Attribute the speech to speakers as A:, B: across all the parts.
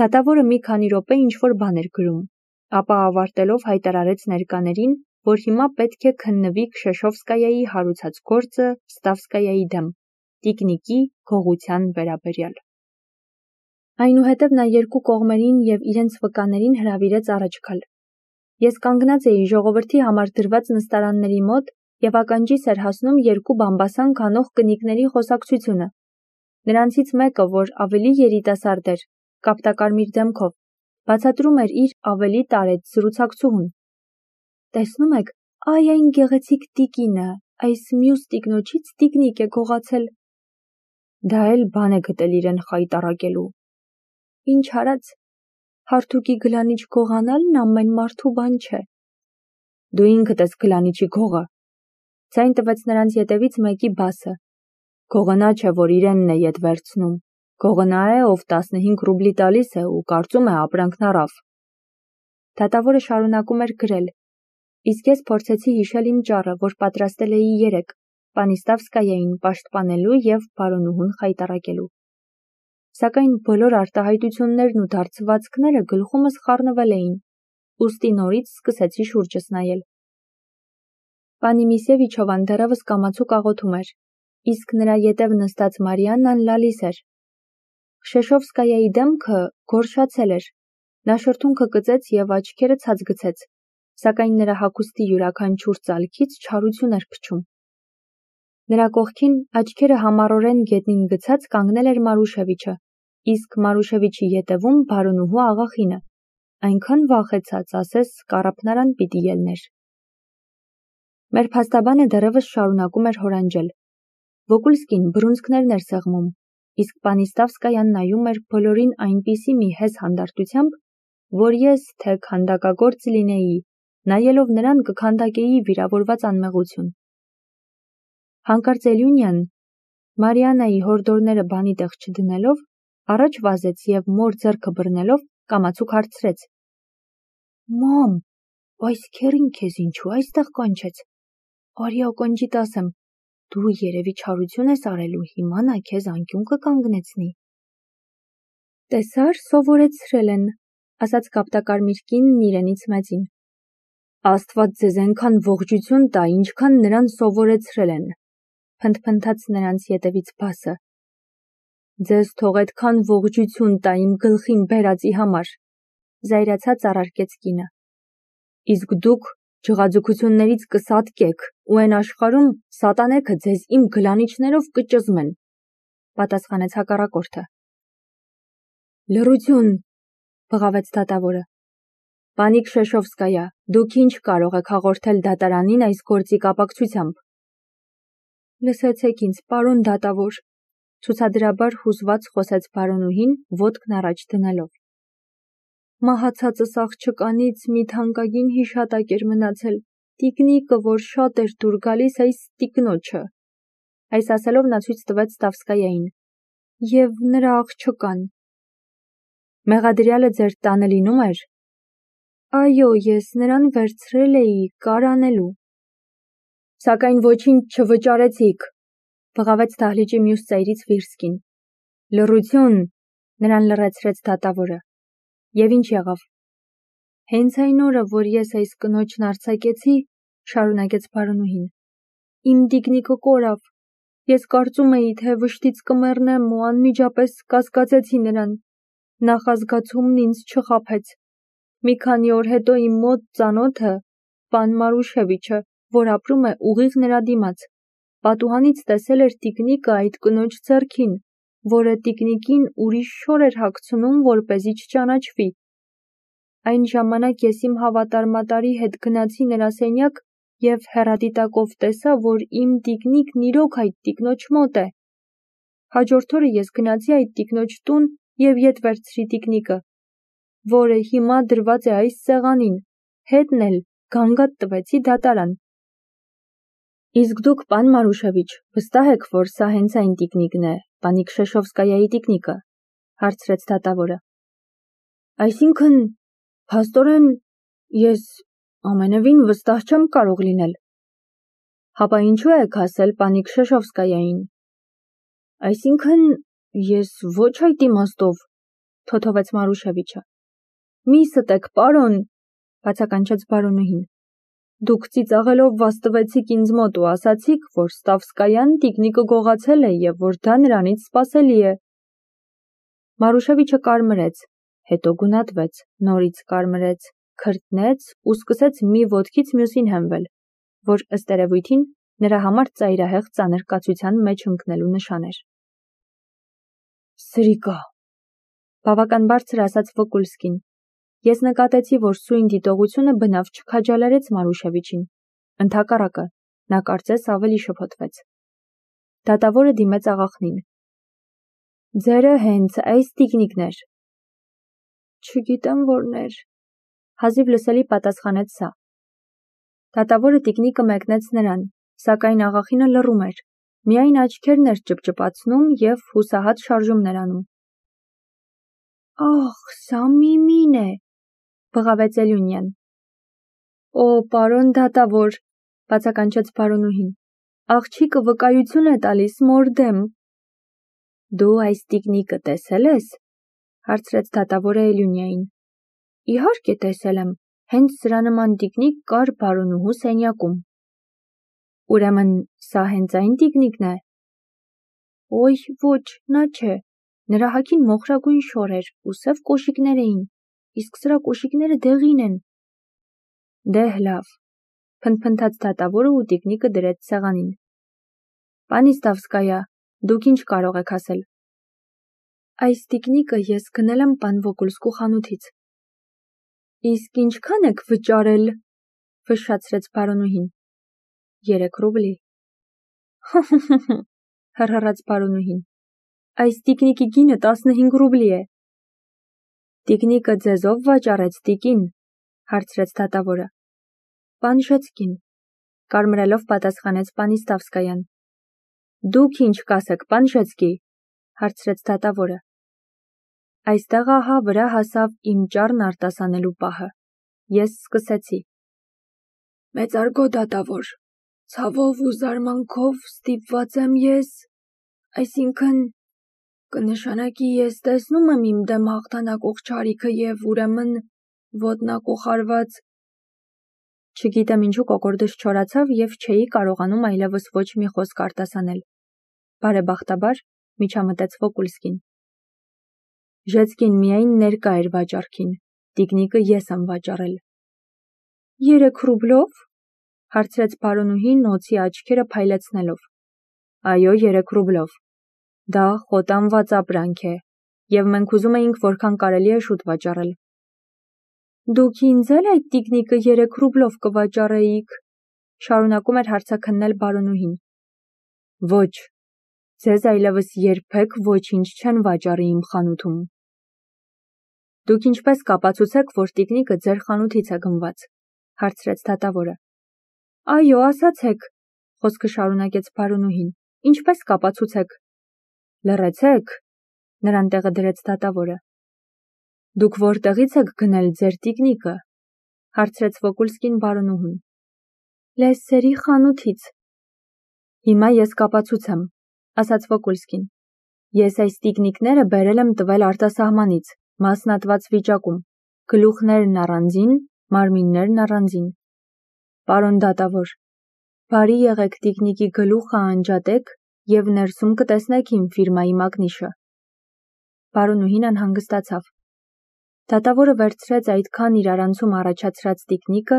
A: Դատավորը մի քանի րոպե ինչ-որ բան էր գրում, ապա ավարտելով հայտարարեց ներկաներին, որ հիմա պետք է քննվի Քշեշովսկայայի հարուցած գործը Ստավսկայայի դեմ, տիկնիկի գողության վերաբերյալ։ Այնուհետև նա երկու կողմերին և իրենց վկաներին հրավիրեց առաջ գալ։ Ես կանգնած էի ժողովրդի համար դրված նստարանների մոտ և ականջիս էր հասնում երկու բամբասան քանող կնիկների խոսակցությունը։ Նրանցից մեկը, որ ավելի երիտասարդ էր, կապտակարմիր դեմքով, բացատրում էր իր ավելի տարեց զրուցակցուհուն։ Տեսնում եք, այ այն գեղեցիկ տիկինը, այս մյուս տիկնոջից տիկնիկ է գողացել։ Դա էլ բան է գտել իրեն խայտառակելու։ Ինչ արած, հարթուկի գլանիչ գողանալն ամեն մարդու բան չէ։ Դու ինքդ ես գլանիչի գողը, ձայն տվեց նրանց ետևից մեկի բասը։ Գողը նա չէ, որ իրենն է ետ վերցնում, գողը նա է, ով 15 ռուբլի տալիս է ու կարծում է ապրանքն առավ։ Դատավորը շարունակում էր գրել, իսկ ես փորձեցի հիշել իմ ճառը, որ պատրաստել էի երեկ, պանի Ստավսկայային պաշտպանելու և բարոնուհուն խայտառակելու։ Սակայն բոլոր արտահայտություններն ու դարձվածքները գլխումս խառնվել էին, ուստի նորից սկսեցի շուրջս նայել։ Պանի Միսևիչովան դեռևս կամացուկ աղոթում էր, իսկ նրա ետև նստած Մարիաննան լալիս էր։ Քշեշովսկայայի դեմքը գորշացել էր, նա շրթունքը կծեց և աչքերը ցած գցեց, սակայն նրա հագուստի յուրաքանչյուր ծալքից չարություն էր փչում։ Նրա կողքին աչքերը համառորեն գետնին գցած կանգնել էր Մարուշևիչը, իսկ Մարուշևիչի ետևում բարոնուհու աղախինը, այնքան վախեցած, ասես կառափնարան պիտի ելներ։ Մեր փաստաբանը դեռևս շարունակում էր հորանջել։ Վոկուլսկին բռունցքներն էր սեղմում, իսկ պանի Ստավսկայան նայում էր բոլորին այնպիսի մի հեզ հանդարտությամբ, որ ես, թե քանդակագործ լինեի, նայելով նրան կքանդակեի վիրավորված անմեղություն։ Հանկարծ Էլյունյան, Մարիաննայի հորդորները բանի տեղ չդնելով, առաջ վազեց և մոր ձեռքը բռնելով կամացուկ հարցրեց. Մամ, այս քերին քեզ ինչու այստեղ կանչեց։ Արի ականջիդ ասեմ, դու երևի չարություն ես արել ու հիմա նա քեզ անկյուն կկանգնեցնի։ Տեսար, սովորեցրել են, ասաց կապտակարմիր կինն իրենից մեծին։ Աստված ձեզ այնքան ողջություն տա, ինչքան նրան սովորեցրել են, փնթփնթաց նրանց ետևից բասը։ Ձեզ թող այդքան ողջություն տա իմ գլխին բերածի համար, զայրացած առարկեց կինը։ Իսկ դուք ջղաձգություններից կսատկեք ու այն աշխարհում սատանեքը ձեզ իմ գլանիչներով կճզմեն, պատասխանեց հակառակորդը։ Լռություն, բղավեց դատավորը։ Պանի Քշեշովսկայա, դուք ինչ կարող եք հաղորդել դատարանին այս գործի կապակցությամբ։ Լսեցեք ինձ, պարոն դատավոր, ցուցադրաբար հուզված խոսեց բարոնուհին, ոտքն առաջ դնելով։ Մահացածս աղջկանից մի թանկագին հիշատակ էր մնացել, տիկնիկը, որ շատ էր դուր գալիս այս տիկնոջը։ Այս ասելով նա ցույց տվեց Ստավսկայային։ Եվ նրա աղջկան։ Մեղադրյալը ձեր տանը լինում էր։ Այո, ես նրան վերցրել էի կարանելու։ Սակայն ոչինչ չվճարեցիք, բղավեց դահլիճի մյուս ծայրից Վիրսկին։ Լռություն, նրան լռեցրեց դատավորը։ Եվ ինչ եղավ։ Հենց այն օրը, որ ես այս կնոջն արձակեցի, շարունակեց բարոնուհին, իմ տիկնիկը կորավ։ Ես կարծում էի, թե վշտից կմեռնեմ ու անմիջապես կասկածեցի նրան։ Նախազգացումն ինձ չխաբեց։ Մի քանի օր հետո իմ մոտ ծանոթը, պան Մարուշևիչը, որ ապրում է ուղիղ նրա դիմաց, պատուհանից տեսել էր տիկնիկը այդ կնոջ ձեռքին, որը տիկնիկին ուրիշ շոր էր հագցնում, որպեսզի չճանաչվի։ Այն ժամանակ ես իմ հավատարմատարի հետ գնացի նրա սենյակ և հեռադիտակով տեսա, որ իմ տիկնիկն իրոք այդ տիկնոջ մոտ է։ Հաջորդ օրը ես գնացի այդ տիկնոջ տուն և ետ վերցրի տիկնիկը, որը հիմա դրված է այս սեղանին, հետն էլ գանգատ տվեցի դատարան։ Իսկ դուք, պան Մարուշևիչ, վստահ եք, որ սա հենց այն տիկնիկն է, պանի Քշեշովսկայայի տիկնիկը, հարցրեց դատավորը։ Այսինքն, փաստորեն, ես ամենևին վստահ չեմ կարող լինել։ Հապա ինչու եք ասել պանի Քշեշովսկայային։ Այսինքն, ես ոչ այդ իմաստով, թոթովեց Մարուշևիչը։ Մի ստեք, պարոն, բացականչեց բարոնուհին։ Դուք ծիծաղելով վաստվեցիք ինձ մոտ ու ասացիք, որ Ստավսկայան տիկնիկը գողացել է և որ դա նրանից սպասելի է։ Մարուշևիչը կարմրեց, հետո գունատվեց, նորից կարմրեց, քրտնեց ու սկսեց մի ոտքից մյուսին հենվել, որ ըստ երևույթին նրա համար ծայրահեղ ծանր կացության մեջ ընկնելու նշան էր։ Սրիկա, բավական բարձր ասաց Վոկուլսկին։ Ես նկատեցի, որ սույն դիտողությունը բնավ չքաջալերեց Մարուշևիչին։ Ընդհակառակը, նա կարծես ավելի շփոթվեց։ Դատավորը դիմեց աղախնին։ Ձերը հենց այս տիկնիկն էր։ Չգիտեմ որներ, հազիվ լսելի պատասխանեց սա։ Դատավորը տիկնիկը մեկնեց նրան, սակայն աղախինը լռում էր, միայն աչքերն էր ճպճպացնում և հուսահատ շարժումներ անում։ Ախ, սա Միմին է, բղավեց Էլյունյան։ Օ, պարոն դատավոր, բացականչեց բարոնուհին, աղջիկը վկայություն է տալիս մոր դեմ։ Դու այս տիկնիկը տեսել ես, հարցրեց դատավորը Էլյունյային։ Իհարկե տեսել եմ, հենց սրա նման տիկնիկ կար բարոնուհու սենյակում։ Ուրեմն սա հենց այն տիկնիկն է։ Ոյ, ոչ, նա չէ, նրա հագին մոխրագույն շոր էր ու սև կոշիկներ էին, իսկ սրա կոշիկները դեղին են։ Դեհ լավ, փնթփնթաց դատավորը ու տիկնիկը դրեց սեղանին։ Պանի Ստավսկայա, դուք ինչ կարող եք ասել։ Այս տիկնիկը ես գնել եմ պան Վոկուլսկու խանութից։ Իսկ ինչքան եք վճարել, ֆշշացրեց բարոնուհին։ 3 ռուբլի։ Հռհռաց բարոնուհին։ Այս տիկնիկի գինը 15 ռուբլի է։ Տիկնիկը ձեզով վաճառեց տիկին, հարցրեց դատավորը։ Պանժեցկին, կարմրելով պատասխանեց պանի Ստավսկայան։ Դուք ինչ կասեք, Պանժեցկի, հարցրեց դատավորը։ Այստեղ ահա վրա հասավ իմ ճառն արտասանելու պահը։ Ես սկսեցի։ Մեծարգո դատավոր, ցավով ու զարմանքով ստիպված եմ ես, այսինքն կնշանակի ես տեսնում եմ իմ դեմ հաղթանակող չարիքը և ուրեմն ոտնակոխարված։ Չգիտեմ ինչու կոկորդս չորացավ և չէի կարողանում այլևս ոչ մի խոսք արտասանել։ Բարեբախտաբար միջամտեց Վոկուլսկին։ Ժեցկին միայն ներկա էր վաճառքին, տիկնիկը ես եմ վաճառել։ 3 ռուբլով, հարցրեց բարոնուհին օձի աչքերը փայլեցնելով։ Այո, 3 ռուբլով։ Դա խոտանված ապրանք է, և մենք ուզում էինք որքան կարելի է շուտ վաճառել։ Դուք ինձ էլ այդ տիկնիկը 3 ռուբլով կվաճառեիք, շարունակում էր հարցաքննել բարոնուհին։ Ոչ, ձեզ այլևս երբեք ոչինչ չեն վաճառի իմ խանութում։ Դուք ինչպես կապացուցեք, որ տիկնիկը ձեր խանութից է գնված, հարցրեց դատավորը։ Այո, ասացեք, խոսքը շարունակեց բարոնուհին, ինչպես կապացուցեք։ Լռեցեք, նրան տեղը դրեց դատավորը։ Դուք որտեղից եք գնել ձեր տիկնիկը, հարցրեց Վոկուլսկին բարոնուհուն։ Լեսսերի խանութից։ Հիմա ես կապացուցեմ, ասաց Վոկուլսկին։ Ես այս տիկնիկները բերել եմ տվել արտասահմանից, մասնատված վիճակում, գլուխներն առանձին, մարմիններն առանձին։ Պարոն դատավոր, բարի եղեք տիկնիկի գլուխը անջատեք և ներսում կտեսնեք իմ ֆիրմայի մակնիշը։ Բարոնուհին անհանգստացավ։ Դատավորը վերցրեց այդքան իրարանցում առաջացրած տիկնիկը,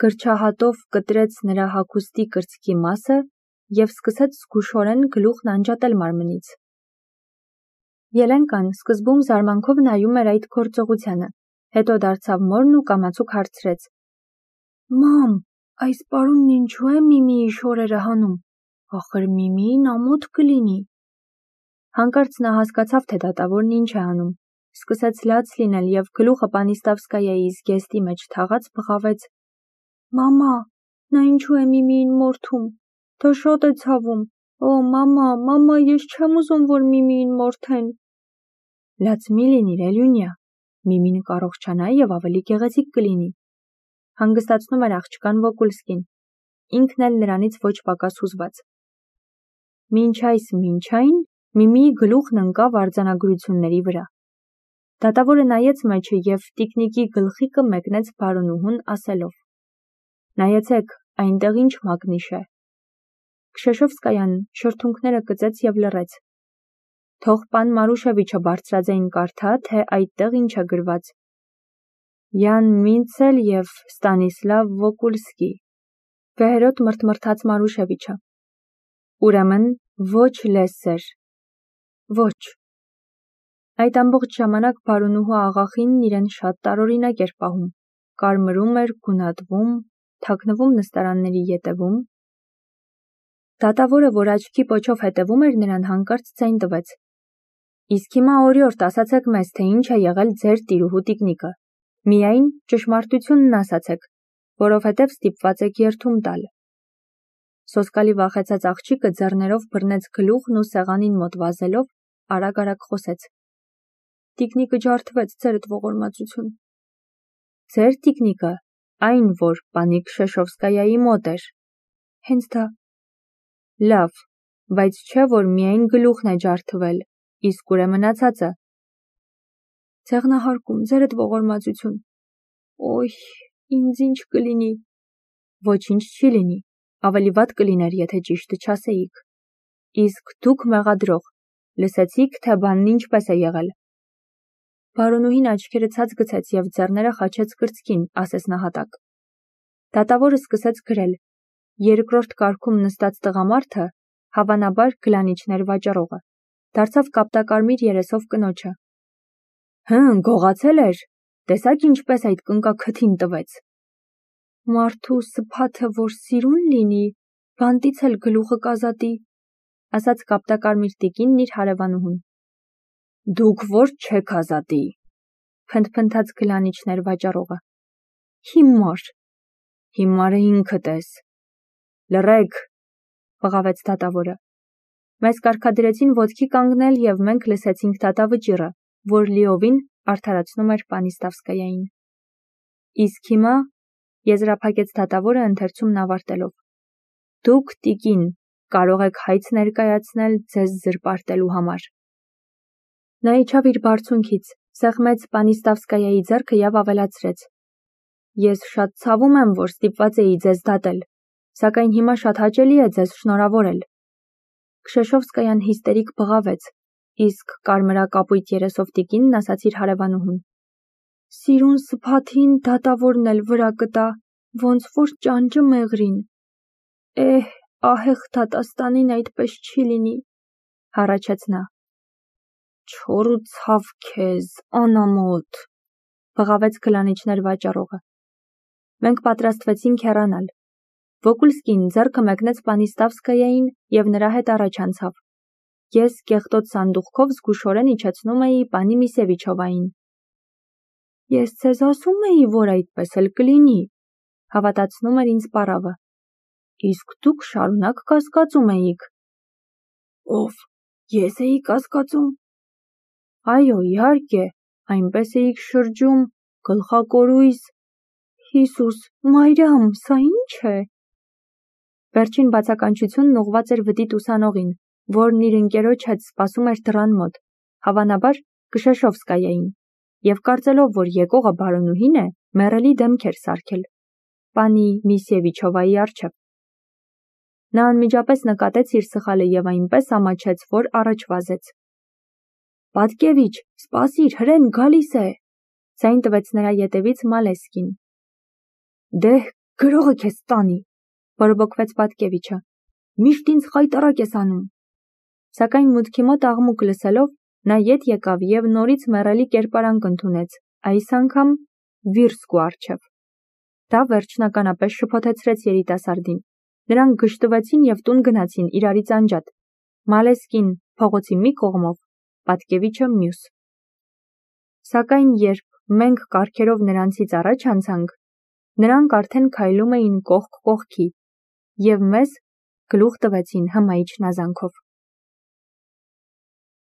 A: գրչահատով կտրեց նրա հագուստի կրծքի մասը և սկսեց զգուշորեն գլուխն անջատել մարմնից։ Ելենկան սկզբում զարմանքով նայում էր այդ գործողությանը, հետո դարձավ մորն ու կամացուկ հարցրեց. Մամ, այս պարոնն ինչու է Միմիի շորերը հանում, ախր Միմիին ամոթ կլինի։ Հանկարծ նա հասկացավ, թե դատավորն ինչ է անում, սկսեց լաց լինել և գլուխը պանի Ստավսկայայի զգեստի մեջ թաղած բղավեց. Մամա, նա ինչու է Միմիին մորթում, դա շատ է ցավում, օ, մամա, ես չեմ ուզում, որ Միմիին մորթեն։ Լաց մի լինիր, Էլյունյա, Միմին կառողջանա և ավելի գեղեցիկ կլինի։ Հանգստացնում էր աղջկան Վոկուլսկին, ինքն էլ նրանից ոչ պակաս հուզված։ Մինչ այն, Միմիի գլուխն ընկավ արձանագրությունների վրա։ Դատավորը նայեց մեջը և տիկնիկի գլխիկը մեկնեց բարոնուհուն ասելով. «Նայեցեք, այնտեղ ինչ մագնիշ է»։ Քշեշովսկայան շրթունքները կծեց և լռեց։ Թող պան Մարուշևիչը բարձրաձայն կարդա, թե այդտեղ ինչ է գրված։ Յան Մինցել և Ստանիսլավ Վոկուլսկի։ Վեհերոտ մրթմրթաց Մարուշևիչը։ Ուրեմն ոչ լեսեր։ Ոչ։ Այդ ամբողջ ժամանակ բարոնուհու աղախինն իրեն շատ տարօրինակ էր պահում, կարմրում էր, գունատվում, թաքնվում նստարանների ետևում։ Դատավորը, որ աչքի պոչով հետևում էր նրան, հանկարծ ձայն տվեց. «Իսկ հիմա օրիորդ ասացեք մեզ, թե ինչ է եղել ձեր տիրուհու տիկնիկը, միայն ճշմարտությունն ասացեք, որովհետև ստիպված եք երդում տալ»։ Սոսկալի վախեցած աղջիկը ձեռներով բռնեց գլուխն ու սեղանին մոտ վազելով, արագ-արագ խոսեց. «Տիկնիկը ջարդվեց, ձերդ ողորմածություն»։ Ձեր տիկնիկը, այն, որ պանի Քշեշովսկայայի մոտ էր։ Հենց դա։ Լավ, բայց չէ, որ միայն գլուխն է ջարդվել, իսկ ուր է մնացածը։ Ձեղնահարկում, ձերդ ողորմածություն։ Օյ, ինձ ինչ կլինի։ Ոչինչ չի լինի, ավելի վատ կլիներ, եթե ճիշտը չասեիք։ Իսկ դուք մեղադրող, լսեցիք, թե բանն ինչպես է եղել։ Բարոնուհին աչքերը ցած գցեց և ձեռները խաչեց կրծքին, ասես նահատակ։ Դատավորը սկսեց գրել. երկրորդ կարգում նստած տղամարդը, հավանաբար գլանիչներ վաճառողը, դարձավ կապտակարմիր երեսով կնոջը. գողացել էր, տեսաք ինչպես այդ կնկա քթին տվեց։ Մարդու սփաթը, որ սիրուն լինի, բանտից էլ գլուխը կազատի, ասաց կապտակարմիր տիկինն իր հարևանուհուն։ Դուք որ չեք ազատի, փնթփնթաց գլանիչներ վաճառողը։ Հիմար։ Հիմարը ինքդ ես։ Լռեք, բղավեց դատավորը։ Մեզ կարգադրեցին ոտքի կանգնել և մենք լսեցինք դատավճիռը, որ լիովին արդարացնում էր Պանիստավսկայային։ Իսկ հիմա, եզրափակեց դատավորը ընթերցումն ավարտելով, դուք, տիկին, կարող եք հայց ներկայացնել ձեզ զրպարտելու համար։ Նա իջավ իր բարձունքից, սեղմեց Պանիստավսկայայի ձեռքը և ավելացրեց. Ես շատ ցավում եմ, որ ստիպված էի ձեզ դատել, սակայն հիմա շատ հաճելի է ձեզ շնորհավորել։ Քշեշովսկայան հիստերիկ բղավեց, իսկ կարմրակապույտ երեսով տիկինն ասաց իր հարևանուհուն. Սիրուն սփաթին դատավորն էլ վրա կտա, ոնց որ ճանճը մեղրին։ Ահեղ դատաստանին այդպես չի լինի, հառաչեց նա։ Չոր ու ցավ քեզ, անամոթ, բղավեց գլանիչներ վաճառողը։ Մենք պատրաստվեցինք հեռանալ։ Վոկուլսկին ձեռքը մեկնեց Պանիստավսկայային և նրա հետ առաջ անցավ։ Ես կեղտոտ սանդուղքով զգուշորեն իջեցնում էի պանի Միսևիչովային։ Ես ձեզ ասում էի, որ այդպես էլ կլինի, հավատացնում էր ինձ պառավը։ Իսկ դուք շարունակ կասկածում էիք։ Ով, ես էի կասկածում։ Այո, իհարկե, այնպես էիք շրջում, գլխակորույս, Հիսուս, Մարիամ, սա ինչ է։ Վերջին բացականչությունն ուղղված էր վդիտ ուսանողին, որն իր ընկերոջ հետ սպասում էր դռան մոտ, հավանաբար Քշեշովսկայային, և կարծելով, որ եկողը բարոնուհին է, մեռելի դեմք էր սարքել պանի Միսևիչովայի առջև։ Նա անմիջապես նկատեց իր սխալը և այնպես ամաչեց, որ առաջ վազեց։ Պատկևիչ, սպասիր, հրեն գալիս է, ձայն տվեց նրա ետևից Մալեսկին։ Դեհ, գրողը քեզ տանի, բորբոքվեց Պատկևիչը, միշտ ինձ խայտառակ ես անում։ Սակայն մուտքի մոտ աղմուկ լսելով, նա ետ եկավ և նորից մեռելի կերպարանք ընդունեց, այս անգամ Վիրսկու առջև։ Դա վերջնականապես շփոթեցրեց երիտասարդին։ Նրանք գժտվեցին և տուն գնացին իրարից անջատ։ Մալեսկին փողոցի մի կողմով, Պատկևիչը մյուս։ Սակայն երբ մենք կառքերով նրանցից առաջ անցանք, նրանք արդեն քայլում էին կողք կողքի և մեզ գլուխ տվեցին հմայիչ նազանքով։